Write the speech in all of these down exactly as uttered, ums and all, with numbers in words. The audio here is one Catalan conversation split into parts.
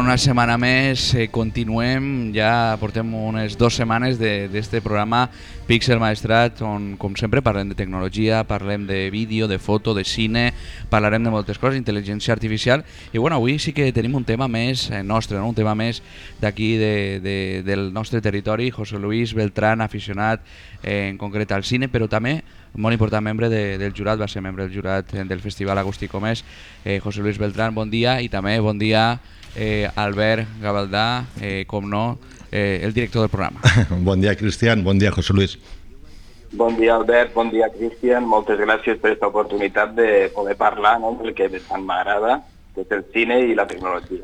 una setmana més, eh, continuem, ja portem unes dues setmanes d'aquest programa Pixel Maestrat, on com sempre parlem de tecnologia, parlem de vídeo, de foto, de cine, parlarem de moltes coses, intel·ligència artificial, i bueno, avui sí que tenim un tema més eh, nostre, no? Un tema més d'aquí de, de, del nostre territori, José Luis Beltrán, aficionat eh, en concret al cine, però també molt important membre de, del jurat, va ser membre del jurat del Festival Agustí Comès. eh, José Luis Beltrán, bon dia, i també bon dia eh, Albert Gavaldà, eh, com no, eh, el director del programa. Bon dia, Cristian, bon dia, José Luis. Bon dia, Albert, bon dia, Cristian, moltes gràcies per aquesta oportunitat de poder parlar, no?, del que tant m'agrada, que és el cine i la tecnologia.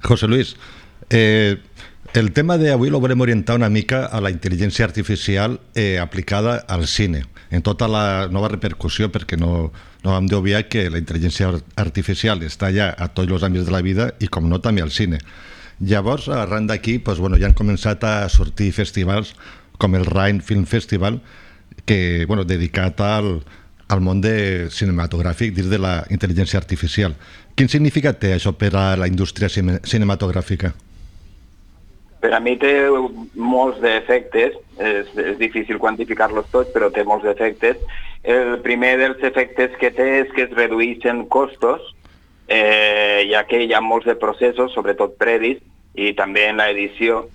José Luis, eh, el tema d'avui lo volem orientar una mica a la intel·ligència artificial eh, aplicada al cine, en tota la nova repercussió, perquè no, no hem d'obviar que la intel·ligència artificial està ja a tots els àmbits de la vida i, com no, també al cine. Llavors, arran d'aquí, doncs, bueno, ja han començat a sortir festivals com el Rhine Film Festival, que, bueno, dedicat al, al món de cinematogràfic dins de la intel·ligència artificial. Quin significat té això per a la indústria cinematogràfica? Per a mi té molts d'efectes, és, és difícil quantificar-los tots, però té molts efectes. El primer dels efectes que té és que es redueixen costos, eh, ja que hi ha molts de processos, sobretot previs, i també en l'edició,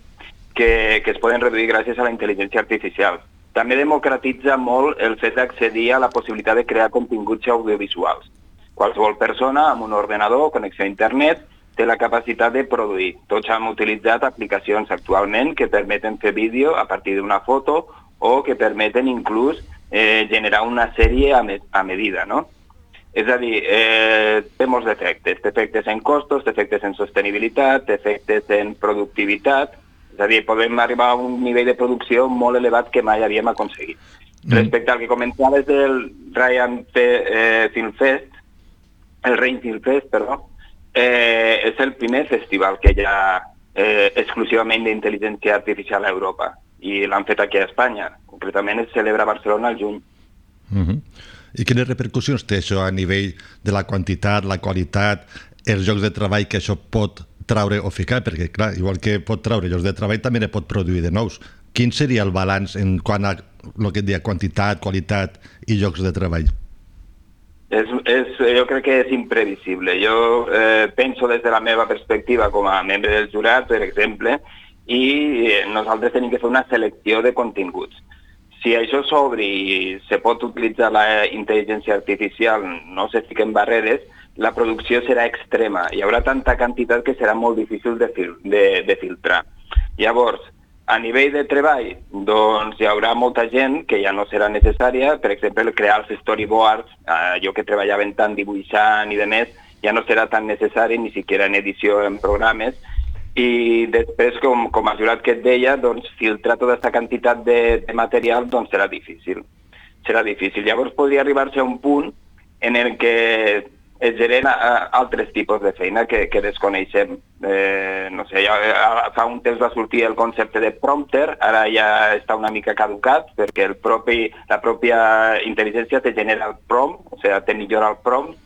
que, que es poden reduir gràcies a la intel·ligència artificial. També democratitza molt el fet d'accedir a la possibilitat de crear continguts audiovisuals. Qualsevol persona amb un ordenador, connexió a internet, té la capacitat de produir. Tots hem utilitzat aplicacions actualment que permeten fer vídeo a partir d'una foto o que permeten inclús eh, generar una sèrie a, me a medida, no? És a dir, eh, té molts efectes. Té efectes en costos, té efectes en sostenibilitat, té efectes en productivitat. És a dir, podem arribar a un nivell de producció molt elevat que mai havíem aconseguit. Mm. Respecte al que comentaves del Ryan eh, Film Fest, el Rhine Film Fest, perdó, Eh, és el primer festival que hi ha eh, exclusivament d'intel·ligència artificial a Europa i l'han fet aquí a Espanya. Concretament es celebra a Barcelona al juny. Uh-huh. I quines repercussions té això a nivell de la quantitat, la qualitat, els llocs de treball que això pot traure o ficar? Perquè, clar, igual que pot traure llocs de treball, també ne pot produir de nous. Quin seria el balanç en quant a el que et deia, quantitat, qualitat i llocs de treball? És, és, jo crec que és imprevisible. Jo eh, penso des de la meva perspectiva com a membre del jurat, per exemple, i nosaltres tenim que fer una selecció de continguts. Si això s'obre i se pot utilitzar la intel·ligència artificial, no se fiquen barreres, la producció serà extrema. Hi haurà tanta quantitat que serà molt difícil de, fil de, de filtrar. Llavors, a nivell de treball, doncs hi haurà molta gent que ja no serà necessària, per exemple, crear els storyboards, eh, jo que treballaven tant dibuixant i de més, ja no serà tan necessari, ni siquiera en edició en programes, i després, com, com a jurat que et deia, doncs filtrar tota aquesta quantitat de, de material doncs serà difícil. Serà difícil. Llavors podria arribar-se a un punt en el que es generen altres tipus de feina que, que desconeixem. Eh, no sé, ja, fa un temps va sortir el concepte de prompter, ara ja està una mica caducat, perquè el propi, la pròpia intel·ligència te genera el prompt, o sigui, te millora el prompt.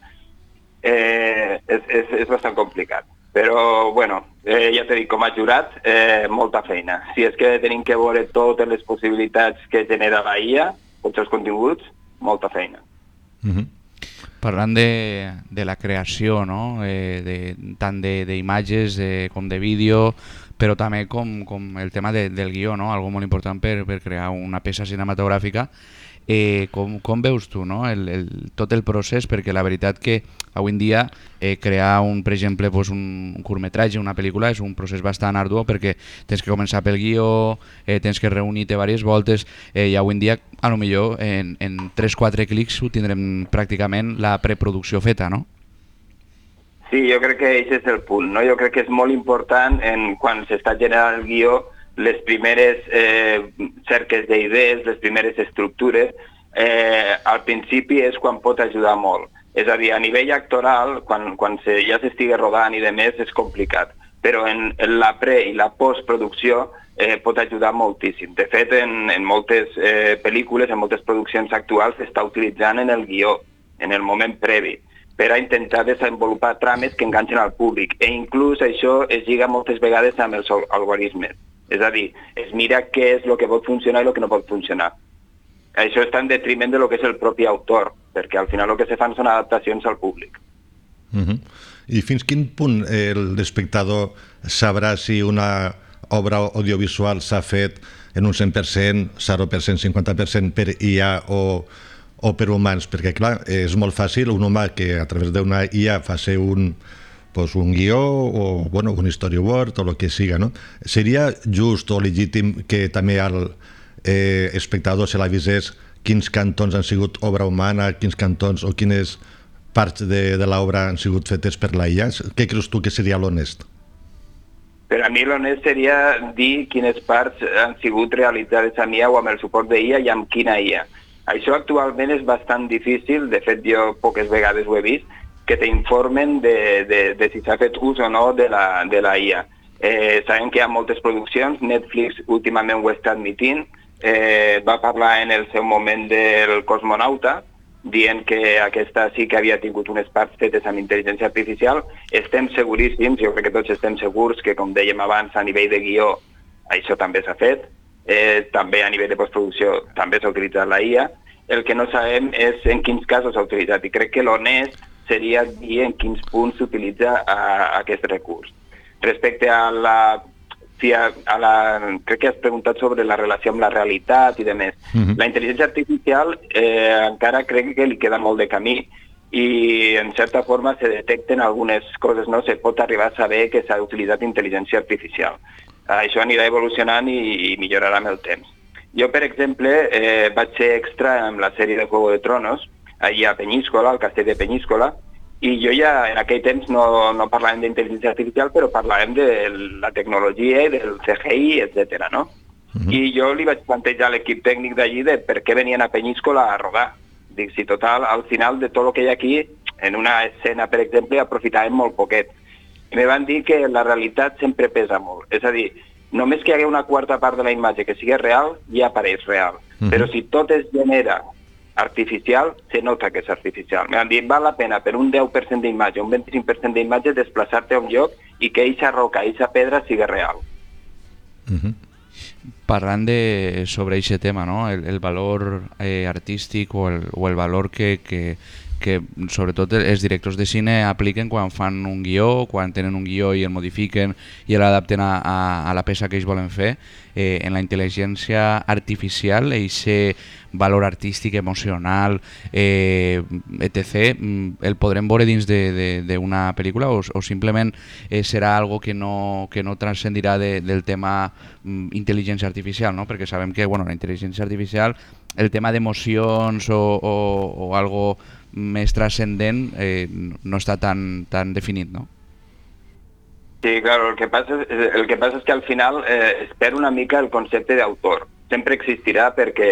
Eh, és, és, és bastant complicat. Però, bueno, eh, ja t'he dit, com a jurat, eh, molta feina. Si és que tenim que veure totes les possibilitats que genera la I A, tots els continguts, molta feina. Mhm. Parlant de, de la creació, no? eh, de, tant d'imatges com de vídeo, però també com, com el tema de, del guió, no? Algo molt important per, per crear una peça cinematogràfica. Eh, com, com veus tu, no? el, el, tot el procés? Perquè la veritat que avui en dia eh, crear, un, per exemple, pues un, un curtmetratge, una pel·lícula, és un procés bastant arduo, perquè tens que començar pel guió, eh, tens que reunir-te diverses voltes, eh, i avui en dia, a lo millor, en, en tres quatre clics ho tindrem pràcticament la preproducció feta, no? Sí, jo crec que aquest és el punt, no? Jo crec que és molt important en, quan s'està generant el guió, les primeres eh, cerques d'idees, les primeres estructures, eh, al principi és quan pot ajudar molt. És a dir, a nivell actoral, quan, quan se, ja s'estigui rodant i de més, és complicat. Però en, en la pre- i la postproducció eh, pot ajudar moltíssim. De fet, en, en moltes eh, pel·lícules, en moltes produccions actuals, s'està utilitzant en el guió, en el moment previ. per a intentar desenvolupar trames que enganxen al públic. E inclús això es lliga moltes vegades amb els algoritmes. És a dir, es mira què és el que pot funcionar i el que no pot funcionar. Això està en detriment de lo que és el propi autor, perquè al final el que se fan són adaptacions al públic. Uh-huh. I fins quin punt l'espectador sabrà si una obra audiovisual s'ha fet en un cent per cent, zero per cent, cinquanta per cent per I A o, o per humans? Perquè, clar, és molt fàcil un humà que a través d'una I A faci un, pues, un guió o bueno, un storyboard o el que siga, no? Seria just o legítim que també el eh, espectador se l'avisés quins cantons han sigut obra humana, quins cantons o quines parts de, de l'obra han sigut fetes per la I A? Què creus tu que seria l'honest? Per a mi l'honest seria dir quines parts han sigut realitzades amb I A o amb el suport de I A i amb quina I A. Això actualment és bastant difícil, de fet jo poques vegades ho he vist, que t'informen de, de, de si s'ha fet ús o no de la, de la I A. Eh, sabem que hi ha moltes produccions, Netflix últimament ho està admitint, eh, va parlar en el seu moment del Cosmonauta, dient que aquesta sí que havia tingut unes parts fetes amb intel·ligència artificial. Estem seguríssims, jo crec que tots estem segurs que, com dèiem abans, a nivell de guió això també s'ha fet, eh, també a nivell de postproducció també s'ha utilitzat la I A. El que no sabem és en quins casos s'ha utilitzat i crec que l'honest seria dir en quins punts s'utilitza aquest recurs. Respecte a la A la, crec que has preguntat sobre la relació amb la realitat i demés. Uh-huh. La intel·ligència artificial eh, encara crec que li queda molt de camí i en certa forma se detecten algunes coses, no? Se pot arribar a saber que s'ha utilitzat intel·ligència artificial. Això anirà evolucionant i, i millorarà amb el temps. Jo, per exemple, eh, vaig ser extra en la sèrie de Juego de Tronos, allà a Penyíscola, al castell de Penyíscola, i jo ja en aquell temps no, no parlàvem d'intel·ligència artificial, però parlàvem de la tecnologia i del C G I, etcètera, no? Uh-huh. I jo li vaig plantejar a l'equip tècnic d'allí de per què venien a Penyíscola a rodar. Dic, si total, al final de tot el que hi ha aquí, en una escena, per exemple, aprofitàvem molt poquet. I me van dir que la realitat sempre pesa molt. És a dir, només que hi hagués una quarta part de la imatge que sigui real, ja apareix real. Uh-huh. Però si tot es genera artificial, se nota que és artificial. M'han dit, val la pena per un deu per cent d'imatge, un vint-i-cinc per cent d'imatge, desplaçar-te a un lloc i que eixa roca, eixa pedra sigui real. Uh-huh. Parlant de, sobre aquest tema, no? el, el valor eh, artístic o el, o el valor que, que, que sobretot els directors de cine apliquen quan fan un guió, quan tenen un guió i el modifiquen i l'adapten a, a, a la peça que ells volen fer. Eh, en la intel·ligència artificial, aquest valor artístic, emocional, eh, etcètera, el podrem veure dins d'una pel·lícula o, o simplement eh, serà algo que no, que no transcendirà de, del tema mm, intel·ligència artificial, no? Perquè sabem que bueno, la intel·ligència artificial, el tema d'emocions o, o, o algo més transcendent eh, no està tan, tan definit, no? Sí, claro, el que passa, el que passa és que al final eh, es perd una mica el concepte d'autor. Sempre existirà perquè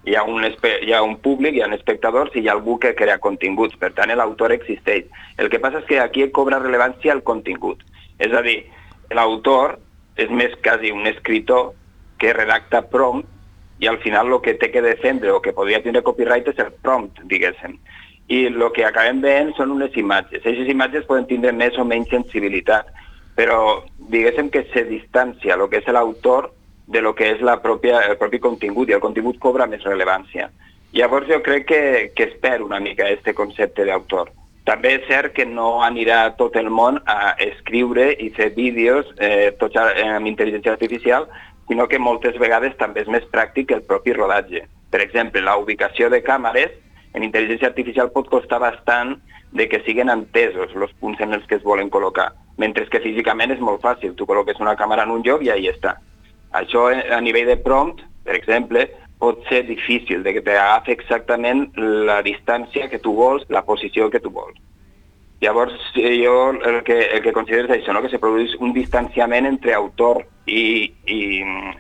hi ha, un hi ha un públic, hi ha espectadors i hi ha algú que crea continguts. Per tant, l'autor existeix. El que passa és que aquí cobra rellevància el contingut. És a dir, l'autor és més quasi un escritor que redacta prompt i al final el que té que defendre o que podria tenir copyright és el prompt, diguéssim. I el que acabem veient són unes imatges. Aquestes imatges poden tindre més o menys sensibilitat, però diguéssim que se distancia el que és l'autor de lo que és la pròpia, el propi contingut i el contingut cobra més rellevància. Llavors jo crec que, que es perd una mica aquest concepte d'autor. També és cert que no anirà tot el món a escriure i fer vídeos eh, tots amb intel·ligència artificial, sinó que moltes vegades també és més pràctic el propi rodatge. Per exemple, la ubicació de càmeres en intel·ligència artificial pot costar bastant de que siguin entesos els punts en els que es volen col·locar, mentre que físicament és molt fàcil, tu col·loques una càmera en un lloc i ahí està. Això a nivell de prompt, per exemple, pot ser difícil de que t'agafi exactament la distància que tu vols, la posició que tu vols. Llavors jo el que, el que considero és això, no? Que se produeix un distanciament entre autor i, i,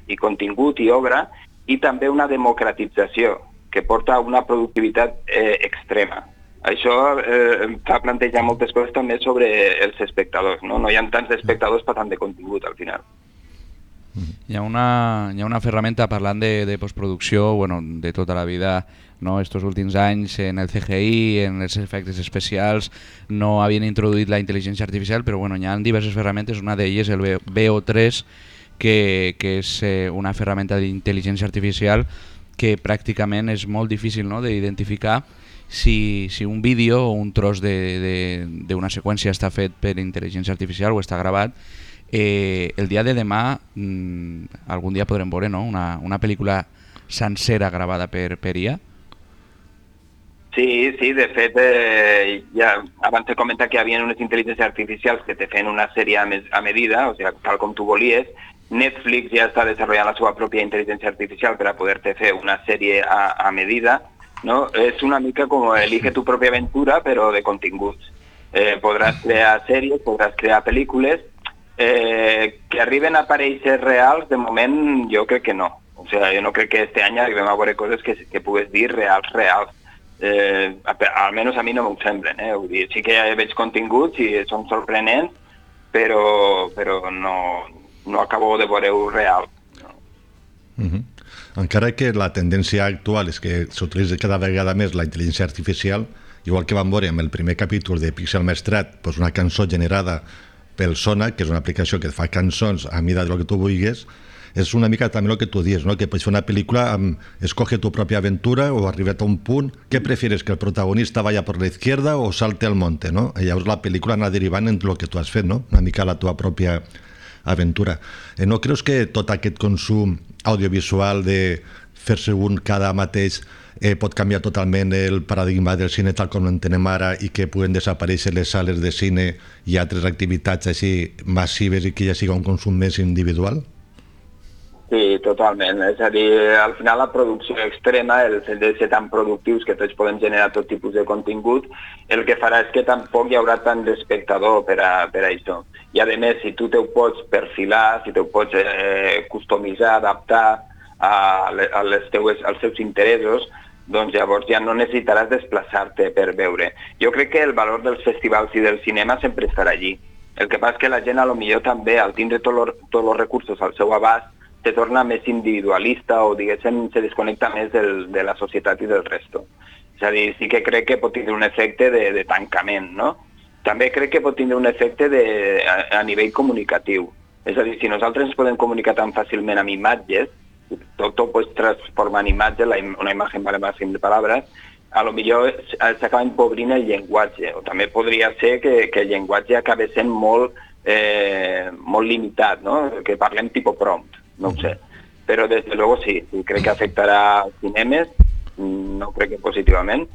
i contingut i obra i també una democratització que porta a una productivitat eh, extrema. Això eh, fa plantejar moltes coses també sobre els espectadors, no? No hi ha tants espectadors per tant de contingut al final. Hi ha una, hi ha una ferramenta, parlant de, de postproducció, bueno, de tota la vida, no? Estos últims anys en el C G I, en els efectes especials, no havien introduït la intel·ligència artificial, però bueno, hi ha diverses ferramentes, una d'elles el V O tres, que, que és eh, una ferramenta d'intel·ligència artificial que pràcticament és molt difícil, no?, d'identificar si, si un vídeo o un tros d'una seqüència està fet per intel·ligència artificial o està gravat. Eh, el dia de demà, mmm, algun dia podrem veure, no?, una, una pel·lícula sencera gravada per, per I A. Sí, sí, de fet, eh, ja abans he comentat que hi havia unes intel·ligències artificials que te feien una sèrie a, mes, a medida, o sigui, tal com tu volies. Netflix ja està desenvolupant la seva pròpia intel·ligència artificial per a poder-te fer una sèrie a, a medida, no? És una mica com elige tu pròpia aventura, però de continguts. Eh, podràs crear sèries, podràs crear pel·lícules, eh, que arriben a aparèixer reals, de moment jo crec que no. O sigui, jo no crec que este any arribem a veure coses que, que pugues dir reals, reals. Eh, almenys a mi no m'ho semblen, eh? Vull dir, sí que ja veig continguts i són sorprenents, però, però no, no acabo de veure-ho real. No. Uh-huh. Encara que la tendència actual és que s'utilitza cada vegada més la intel·ligència artificial, igual que vam veure en el primer capítol de Pixel Maestrat, doncs una cançó generada pel Sona, que és una aplicació que fa cançons a mida del que tu vulguis, és una mica també el que tu dius, ¿no? Que pots fer una pel·lícula amb escoge tu pròpia aventura o arribat a un punt, què prefieres, que el protagonista vaya por la izquierda o salte al monte, ¿no? I llavors la pel·lícula anar derivant en el que tu has fet, no? Una mica la tua pròpia aventura. Eh, no creus que tot aquest consum audiovisual de fer-se un cada mateix eh, pot canviar totalment el paradigma del cine tal com l'entenem ara i que puguen desaparèixer les sales de cine i altres activitats així massives i que ja siga un consum més individual? Sí, totalment. És a dir, al final la producció extrema, el fet de ser tan productius que tots podem generar tot tipus de contingut, el que farà és que tampoc hi haurà tant d'espectador per a, per a això. I a més, si tu te ho pots perfilar, si te ho pots eh, customitzar, adaptar a, a les teues, als teus interessos, doncs llavors ja no necessitaràs desplaçar-te per veure. Jo crec que el valor dels festivals i del cinema sempre estarà allí. El que passa és que la gent, a lo millor també, al tindre tots els recursos al seu abast, se torna més individualista o, diguéssim, se desconnecta més del, de la societat i del resto. És a dir, sí que crec que pot tindre un efecte de, de tancament, no? També crec que pot tindre un efecte de, a, a nivell comunicatiu. És a dir, si nosaltres ens podem comunicar tan fàcilment amb imatges, tot ho pots transformar en imatge, la, una imatge vale más de paraules, a lo millor s'acaba empobrint el llenguatge, o també podria ser que, que el llenguatge acabi sent molt, eh, molt limitat, no? Que parlem tipus prompt. No ho sé, però des de luego sí, crec que afectarà als cinemes, no crec que positivament,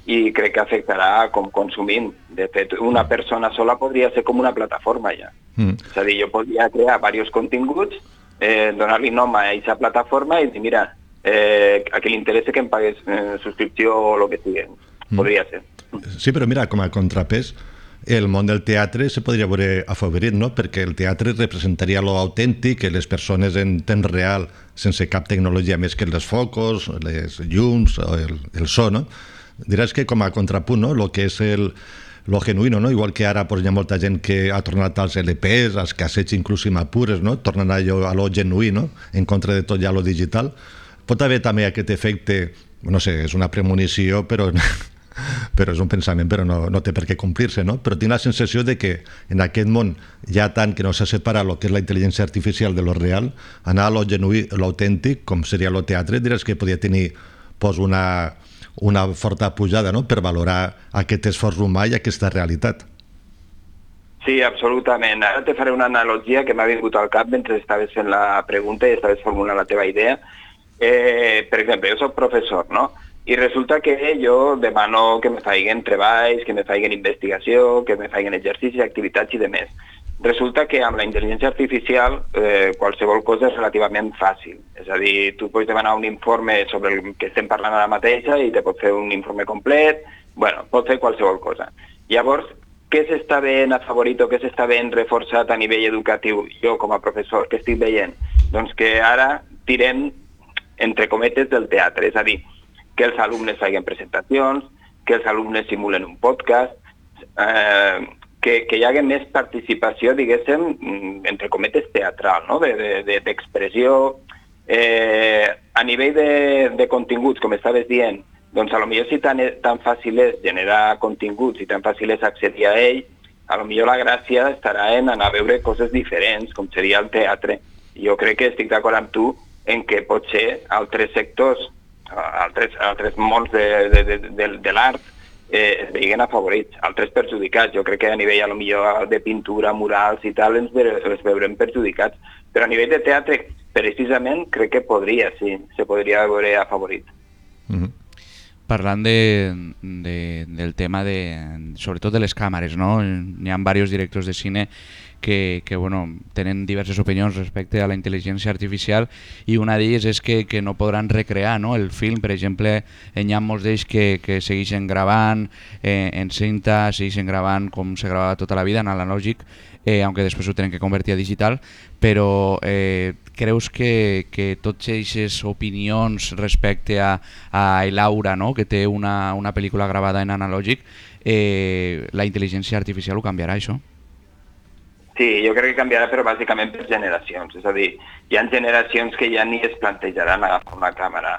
i crec que afectarà com consumint. De fet, una persona sola podria ser com una plataforma ja. Mm. És a dir, jo podria crear diversos continguts, eh, donar-li nom a aquesta plataforma i dir, mira, eh, a qui li interessa que em pagués eh, subscripció o el que sigui. Mm. Podria ser. Sí, però mira, com a contrapès, el món del teatre se podria veure afavorit, no? Perquè el teatre representaria lo autèntic, les persones en temps real, sense cap tecnologia més que els focus, les llums, el, el so, no? Diràs que com a contrapunt, no? Lo que és el, lo genuïno, no? Igual que ara pues, hi ha molta gent que ha tornat als L Ps, als cassets inclús impures, no? Tornen a, allò, a lo genuí, no? En contra de tot ja lo digital. Pot haver també aquest efecte, no sé, és una premonició, però... però és un pensament, però no, no té per què complir-se, no? Però tinc la sensació de que en aquest món hi ha tant que no s'ha separat el que és la intel·ligència artificial de lo real, anar a lo genuí, lo autèntic, com seria lo teatre, diràs que podia tenir pues, una, una forta pujada, no?, per valorar aquest esforç humà i aquesta realitat. Sí, absolutament. Ara te faré una analogia que m'ha vingut al cap mentre estaves fent la pregunta i estaves formulant la teva idea. Eh, per exemple, jo soc professor, no?, i resulta que jo demano que me faiguen treballs, que me faiguen investigació, que me faiguen exercicis, activitats i demés. Resulta que amb la intel·ligència artificial eh, qualsevol cosa és relativament fàcil. És a dir, tu pots demanar un informe sobre el que estem parlant ara mateixa i te pot fer un informe complet, bueno, pot fer qualsevol cosa. Llavors, què s'està ben afavorit o què s'està ben reforçat a nivell educatiu? Jo, com a professor, què estic veient? Doncs que ara tirem, entre cometes, del teatre, és a dir, que els alumnes facin presentacions, que els alumnes simulen un podcast, eh, que, que hi hagi més participació, diguéssim, entre cometes, teatral, no? d'expressió. De, de, eh, a nivell de, de continguts, com estaves dient, Doncs a lo millor si tan, tan fàcil és generar continguts i tan fàcil és accedir a ell, a lo millor la gràcia estarà en anar a veure coses diferents, com seria el teatre. Jo crec que estic d'acord amb tu en què potser altres sectors, altres, altres mons de, de, de, de, de l'art eh, es veien afavorits, altres perjudicats. Jo crec que a nivell a lo millor de pintura, murals i tal, ens, ens veurem perjudicats. Però a nivell de teatre, precisament, crec que podria, sí, se podria veure afavorit. Mm-hmm. Parlant de, de, del tema de, sobretot de les càmeres, no? Hi ha diversos directors de cine que, que bueno, tenen diverses opinions respecte a la intel·ligència artificial i una d'elles és que, que no podran recrear, no? El film. Per exemple, hi ha molts d'ells que, que segueixen gravant eh, en cinta, segueixen gravant com se gravava tota la vida, en analògic, eh, aunque després ho tenen que convertir a digital, però eh, creus que, que tots aquestes opinions respecte a, a Laura, no? Que té una, una pel·lícula gravada en analògic, eh, la intel·ligència artificial ho canviarà, això? Sí, jo crec que canviarà, però bàsicament per generacions. És a dir, hi ha generacions que ja ni es plantejaran agafar una càmera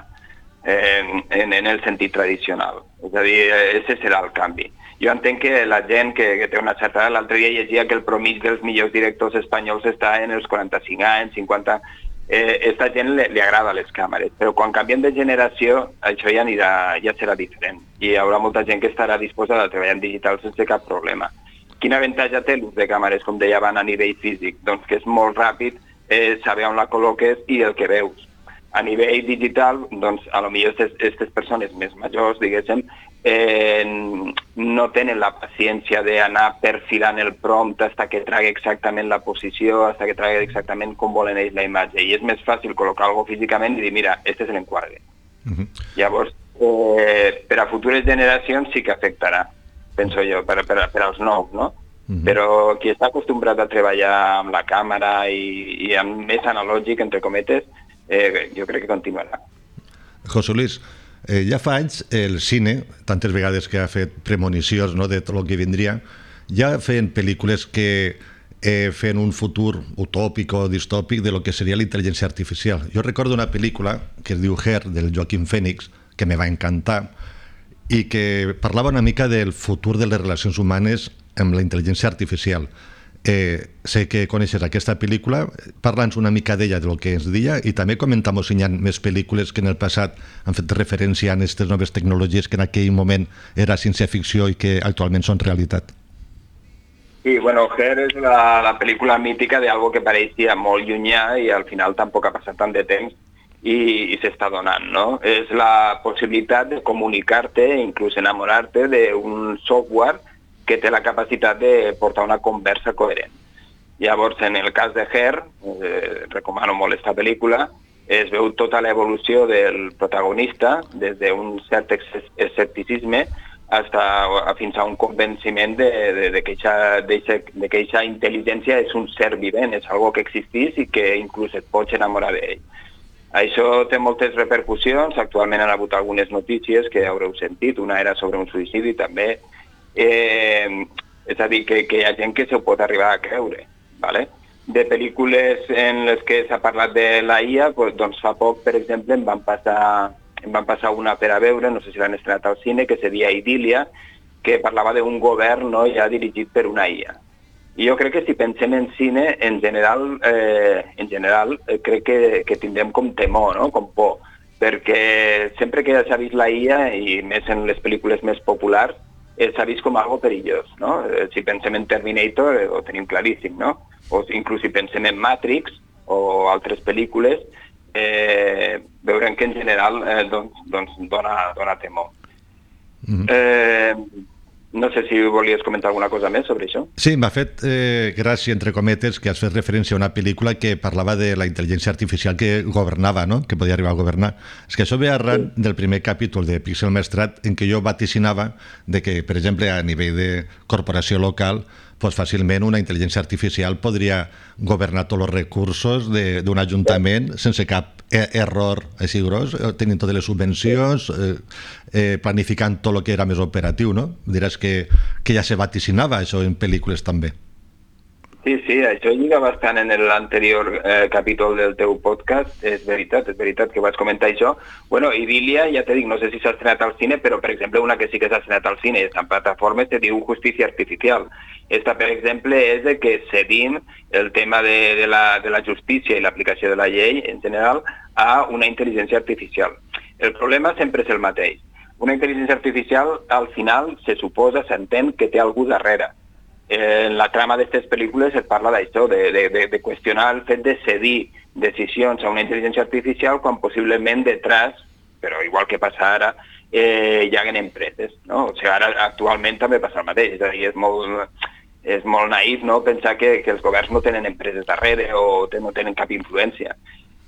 eh, en, en el sentit tradicional. És a dir, ese serà el canvi. Jo entenc que la gent que, que té una certa... L'altre dia llegia que el promig dels millors directors espanyols està en els quaranta-cinc anys, cinquanta... Eh, esta gent li, li agrada les càmeres, però quan canviem de generació això ja, anirà, ja serà diferent i hi haurà molta gent que estarà disposada a treballar en digital sense cap problema. Quin avantatge té l'ús de càmeres, com deia abans, a nivell físic? Doncs que és molt ràpid eh, saber on la col·loques i el que veus. A nivell digital, doncs, a lo millor aquestes persones més majors, diguéssim, eh, no tenen la paciència d'anar perfilant el prompt fins que tragui exactament la posició, fins que tragui exactament com volen ells la imatge. I és més fàcil col·locar alguna cosa físicament i dir, mira, este és l'enquadre. Uh-huh. Llavors, eh, per a futures generacions sí que afectarà, penso jo, per, per, per als nous, no? Uh-huh. Però qui està acostumbrat a treballar amb la càmera i, i amb més analògic, entre cometes, eh, jo crec que continuarà. José Luis, eh, ja fa anys el cine, tantes vegades que ha fet premonicions, no, de tot el que vindria, ja feien pel·lícules que eh, feien un futur utòpic o distòpic de lo que seria la intel·ligència artificial. Jo recordo una pel·lícula que es diu Her, del Joaquín Phoenix, que me va encantar, i que parlava una mica del futur de les relacions humanes amb la intel·ligència artificial. Eh, sé que coneixes aquesta pel·lícula, parla'ns una mica d'ella, del que ens deia, i també comentamos si hi ha més pel·lícules que en el passat han fet referència a aquestes noves tecnologies que en aquell moment era ciència-ficció i que actualment són realitat. Sí, bueno, Her és la, la pel·lícula mítica d'algo que pareixia molt llunyà i al final tampoc ha passat tant de temps i, i s'està donant, no? És la possibilitat de comunicar-te, inclús enamorar-te d'un software que té la capacitat de portar una conversa coherent. Llavors, en el cas de Her, eh, recomano molt aquesta pel·lícula, es veu tota l'evolució del protagonista, des d'un cert escepticisme hasta, fins a un convenciment de, de, de que aquesta intel·ligència és un ser vivent, és algo que existís i que inclús et pots enamorar d'ell. Això té moltes repercussions, actualment han hagut algunes notícies que haureu sentit, una era sobre un suïcidi també, eh, és a dir, que, que hi ha gent que s'ho pot arribar a creure, ¿vale? De pel·lícules en les que s'ha parlat de la I A, pues, doncs fa poc, per exemple, em van passar, em van passar una per a veure, no sé si l'han estrenat al cine, que seria Idília, que parlava d'un govern, no, ja dirigit per una I A. I jo crec que si pensem en cine, en general, eh, en general eh, crec que, que tindrem com temor, no? Com por, perquè sempre que s'ha vist la I A, i més en les pel·lícules més populars, eh, s'ha vist com algo perillós, no? Eh, si pensem en Terminator, eh, ho tenim claríssim, no? O inclús si pensem en Matrix o altres pel·lícules, eh, veurem que en general eh, doncs, doncs dona, dona temor. Mm-hmm. eh, No sé si volies comentar alguna cosa més sobre això. Sí, m'ha fet eh, gràcia, entre cometes, que has fet referència a una pel·lícula que parlava de la intel·ligència artificial que governava, no? Que podia arribar a governar. És que això ve arran sí. del primer capítol de Pixel Maestrat, en què jo vaticinava de que, per exemple, a nivell de corporació local, pues fàcilment una intel·ligència artificial podria governar tots els recursos d'un ajuntament sense cap error així gros, tenint totes les subvencions, eh, eh, planificant tot el que era més operatiu, no? Diràs que, que ja se vaticinava això en pel·lícules també. Sí, sí, això lliga bastant en l'anterior eh, capítol del teu podcast, és veritat, és veritat que vaig comentar això. Bueno, Idília, ja te dic, no sé si s'ha estrenat al cine, però per exemple una que sí que s'ha estrenat al cine i està en plataformes se diu Justícia Artificial. Esta, per exemple, és de que cedim el tema de, de, la, de la justícia i l'aplicació de la llei en general a una intel·ligència artificial. El problema sempre és el mateix. Una intel·ligència artificial al final se suposa, s'entén que té algú darrere. En la trama d'aquestes pel·lícules es parla d'això, de, de, de, de qüestionar el fet de cedir decisions a una intel·ligència artificial quan possiblement detrás, però igual que passa ara, eh, hi ha empreses, no? O sigui, ara actualment també passa el mateix, és a dir, és molt, és molt naïf, no?, pensar que, que els governs no tenen empreses darrere o no tenen cap influència.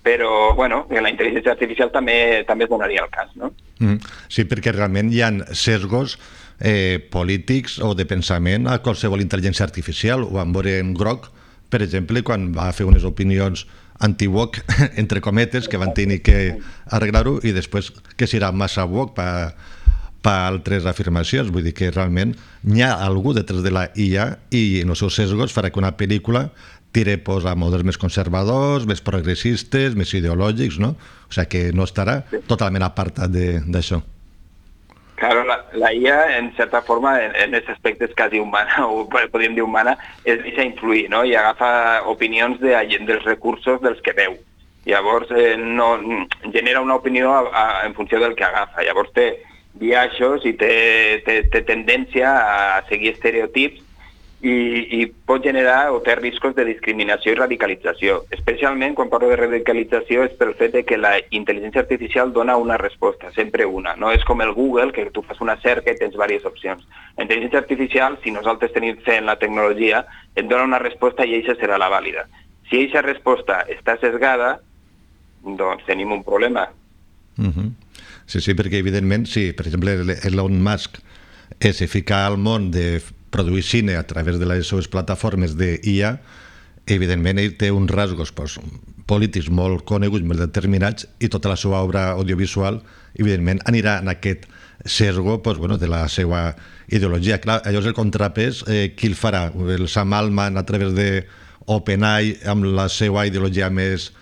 Però, bueno, en la intel·ligència artificial també també es donaria el cas, no? Mm, sí, perquè realment hi ha sesgos eh, polítics o de pensament a qualsevol intel·ligència artificial. Ho vam veure en Grok, per exemple, quan va fer unes opinions anti-woke, entre cometes, que van tenir que arreglar-ho, i després que serà massa woke per pa altres afirmacions. Vull dir que realment hi ha algú detrás de la I A i en els seus sesgos farà que una pel·lícula tire pues, a models més conservadors, més progressistes, més ideològics, no? O sigui que no estarà totalment apartat d'això. Claro, la, la I A, en certa forma, en, en els aspectes quasi humana, o podríem dir humana, es deixa influir, no?, i agafa opinions de, dels recursos dels que veu. Llavors, eh, no, genera una opinió a, a, en funció del que agafa. Llavors té biaixos i té, té, té tendència a seguir estereotips i, i pot generar o té riscos de discriminació i radicalització. Especialment, quan parlo de radicalització, és pel fet de que la intel·ligència artificial dona una resposta, sempre una. No és com el Google, que tu fas una cerca i tens diverses opcions. La intel·ligència artificial, si nosaltres tenim fe en la tecnologia, et dona una resposta i aquesta serà la vàlida. Si aquesta resposta està sesgada, doncs tenim un problema. Uh-huh. Sí, sí, perquè evidentment, si per exemple Elon Musk eh, se fica al món de produir cine a través de les seves plataformes d'I A, evidentment ell té uns rasgos pues, polítics molt coneguts, molt determinats, i tota la seva obra audiovisual evidentment anirà en aquest sesgo pues, bueno, de la seva ideologia. Clar, allò és el contrapès, eh, qui el farà? El Sam Altman a través de OpenAI amb la seva ideologia més,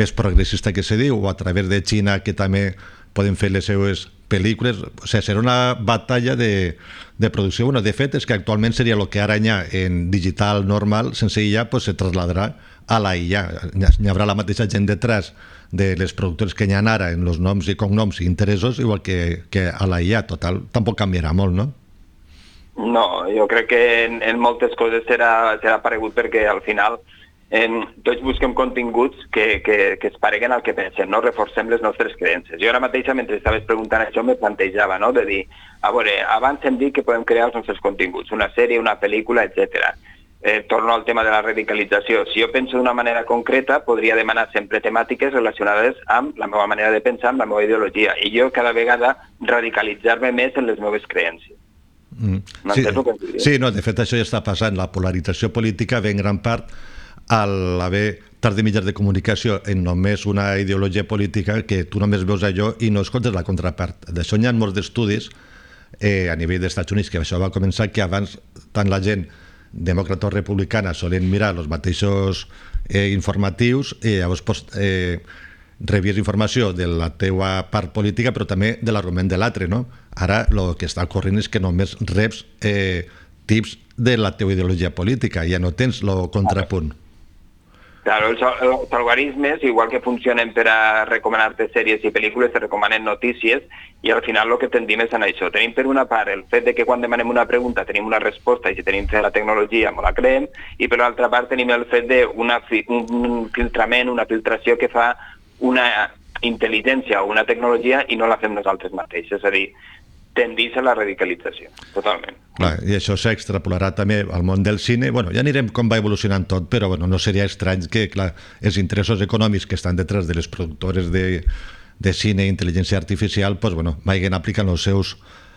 més progressista que se diu, o a través de Xina, que també poden fer les seues pel·lícules. O sigui, serà una batalla de, de producció. Bueno, de fet, és que actualment seria el que ara hi ha en digital normal, sense I A, pues, se trasladarà a la I A. Hi haurà la mateixa gent detrás de les productores que hi ha ara en els noms i cognoms i interessos, igual que, que a la I A. Total, tampoc canviarà molt, no? No, jo crec que en, en moltes coses serà, serà paregut, perquè al final En, tots busquem continguts que, que, que es pareguen al que pensem, no? Reforcem les nostres creences. Jo ara mateixa, mentre estaves preguntant això, me plantejava, no?, de dir, a veure, abans hem dit que podem crear els nostres continguts, una sèrie, una pel·lícula, etcètera. Eh, torno al tema de la radicalització. Si jo penso d'una manera concreta, podria demanar sempre temàtiques relacionades amb la meva manera de pensar, amb la meva ideologia, i jo cada vegada radicalitzar-me més en les meves creences. Mm. Sí, sí, no, de fet això ja està passant. La polarització política ve en gran part a l'haver tard de mitjans de comunicació en només una ideologia política, que tu només veus allò i no escoltes la contrapart. D'això hi ha molts d'estudis eh, a nivell dels Estats Units, que això va començar que abans tant la gent demòcrata o republicana solen mirar els mateixos eh, informatius i llavors pues, eh, rebies informació de la teua part política però també de l'argument de l'altre, no? Ara el que està corrent és que només reps eh, tips de la teua ideologia política, ja no tens el contrapunt. Claro, els, els algoritmes, igual que funcionen per a recomanar-te sèries i pel·lícules, te recomanen notícies, i al final el que tendim és en això. Tenim per una part el fet de que quan demanem una pregunta tenim una resposta, i si tenim fe la tecnologia me la creem, i per l'altra part tenim el fet d'un filtrament, una filtració que fa una intel·ligència o una tecnologia i no la fem nosaltres mateixos. És a dir, tendís a la radicalització, totalment. Clar, i això s'extrapolarà també al món del cine. Bueno, ja anirem com va evolucionant tot, però bueno, no seria estrany que clar, els interessos econòmics que estan detrás de les productores de, de cine i intel·ligència artificial pues, bueno, vagin aplicant els seus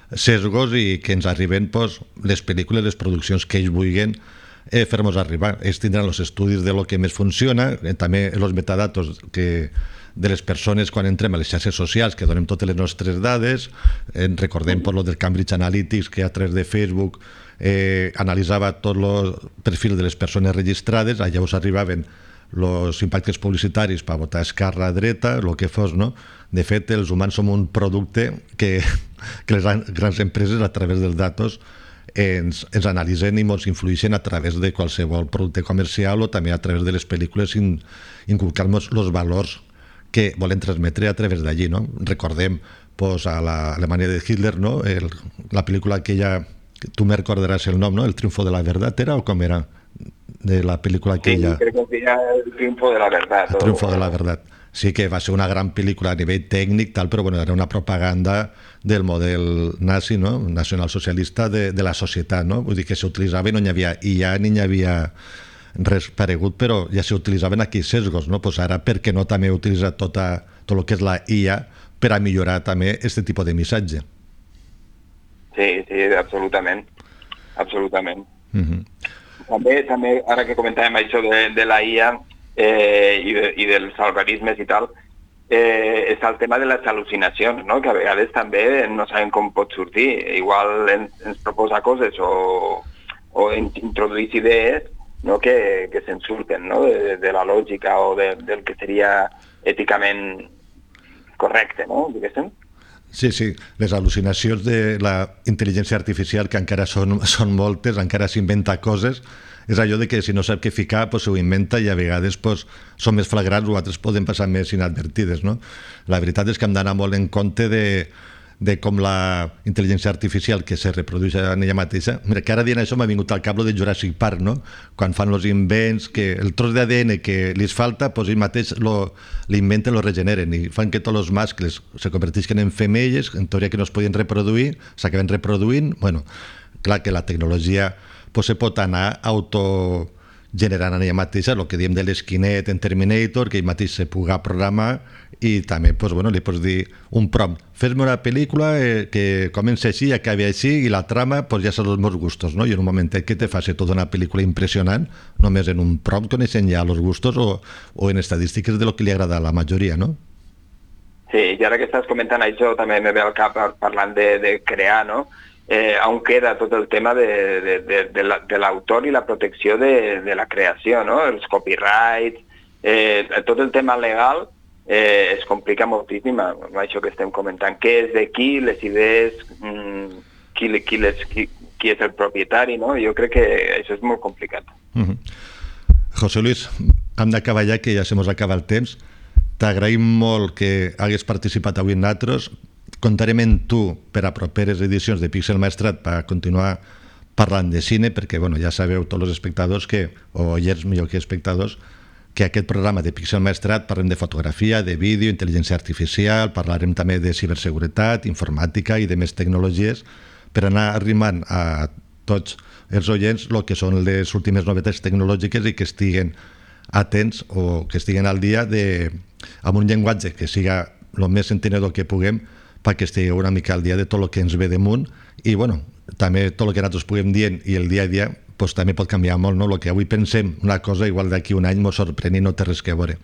sesgos i que ens arriben pues, les pel·lícules, les produccions que ells vulguin eh, fer-nos arribar. Ells tindran els estudis de lo que més funciona, eh, també els metadatos que de les persones quan entrem a les xarxes socials, que donem totes les nostres dades. Eh, recordem per lo del Cambridge Analytics, que a través de Facebook eh, analitzava tot el perfil de les persones registrades. Allà us arribaven els impactes publicitaris per votar esquerra, dreta, el que fos, no? De fet, els humans som un producte que, que les grans empreses, a través dels datos, ens, ens analitzen i ens influeixen a través de qualsevol producte comercial o també a través de les pel·lícules, in, inculcar-nos els valors que volen transmetre a través d'allí, no? Recordem pues, a l'Alemanya de Hitler, no? El, la pel·lícula aquella, tu me recordaràs el nom, no? El triunfo de la verdad, era o com era? De la pel·lícula aquella... Sí, crec que era el triunfo de la verdad. El triunfo de la verdad. Sí que va ser una gran pel·lícula a nivell tècnic, tal, però bueno, era una propaganda del model nazi, no? Nacionalsocialista de, de la societat, no? Vull dir que s'utilitzava i no hi havia I A ni hi havia res paregut, però ja s'utilitzaven aquí sesgos, no? Pues ara, per què no també utilitzar tota, tot el que és la I A per a millorar també aquest tipus de missatge? Sí, sí, absolutament. Absolutament. Uh-huh. També, també, ara que comentàvem això de, de la I A eh, i, de, i dels algoritmes i tal, eh, és el tema de les al·lucinacions, no? Que a vegades també no sabem com pot sortir. Igual ens, ens proposa coses o, o introdueix idees, no? que, que se'n surten, no? de, de la lògica o de, del que seria èticament correcte, no? Diguéssim. Sí, sí, les al·lucinacions de la intel·ligència artificial, que encara són, són moltes, encara s'inventa coses, és allò de que si no sap què ficar, pues, ho inventa i a vegades pues, són més flagrants o altres poden passar més inadvertides, no? La veritat és que hem d'anar molt en compte de, de com la intel·ligència artificial que se reprodueix en ella mateixa. Mira, que ara dient això m'ha vingut al cap lo de Jurassic Park, no? Quan fan els invents, que el tros d'A D N que li falta, pues ells mateix l'inventen, lo regeneren i fan que tots els mascles se convertisquen en femelles, en teoria que no es podien reproduir, s'acaben reproduint. Bueno, clar que la tecnologia pues, se pot anar autogenerant en ella mateixa, el que diem de l'esquinet en Terminator, que ell mateix se puga programar i també pues, bueno, li pots dir un prompt, fes-me una pel·lícula eh, que comença així i acabi així i la trama pues, ja són els meus gustos, no? I en un momentet que te faci tota una pel·lícula impressionant només en un prompt coneixent ja els gustos o, o en estadístiques de lo que li agrada a la majoria, no? Sí, i ara que estàs comentant això també me ve al cap parlant de, de crear, no? Eh, on queda tot el tema de, de, de, de l'autor i la protecció de, de la creació, no? Els copyrights, eh, tot el tema legal eh, es complica moltíssim amb això que estem comentant. Què és de qui, les idees, mmm, qui, qui, les, qui, qui és el propietari, no? Jo crec que això és molt complicat. Uh-huh. José Luis, hem d'acabar ja, que ja se mos acaba el temps. T'agraïm molt que hagués participat avui en nosaltres. Comptarem en tu per a properes edicions de Pixel Maestrat per continuar parlant de cine, perquè bueno, ja sabeu tots els espectadors, que, o oients millor que espectadors, que aquest programa de Pixel Maestrat parlem de fotografia, de vídeo, intel·ligència artificial, parlarem també de ciberseguretat, informàtica i de més tecnologies, per anar arrimant a tots els oients el que són les últimes novetats tecnològiques i que estiguen atents o que estiguen al dia de, amb un llenguatge que siga el més entenedor que puguem, perquè estigueu una mica al dia de tot el que ens ve damunt i bueno, també tot el que nosaltres puguem dient i el dia a dia pues, també pot canviar molt, no? El que avui pensem una cosa igual d'aquí un any ens sorprèn i no té res que veure.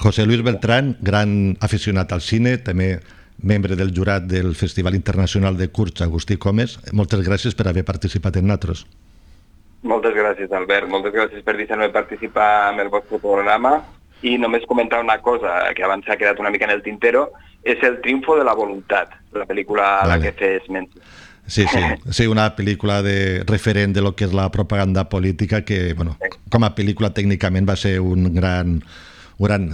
José Luis Beltrán, gran aficionat al cine, també membre del jurat del Festival Internacional de Curts Agustí Comes, moltes gràcies per haver participat en nosaltres. Moltes gràcies, Albert, moltes gràcies per deixar-me participar en el vostre programa i només comentar una cosa que abans s'ha quedat una mica en el tintero, és El triunfo de la voluntat, la pel·lícula a la que fes menció. Sí, sí, sí, una pel·lícula de referent de lo que és la propaganda política que, bueno, com a pel·lícula tècnicament va ser un gran, un gran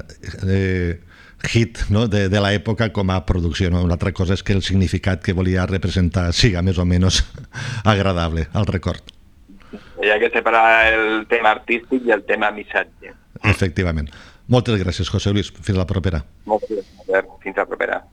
eh, hit, no? de, de l'època com a producció. No? Una altra cosa és que el significat que volia representar siga més o menys agradable al record. Hi ha que separar el tema artístic i el tema missatge. Efectivament. Moltes gràcies, José Luis. Fins la propera. Moltes gràcies, Albert. Fins la propera.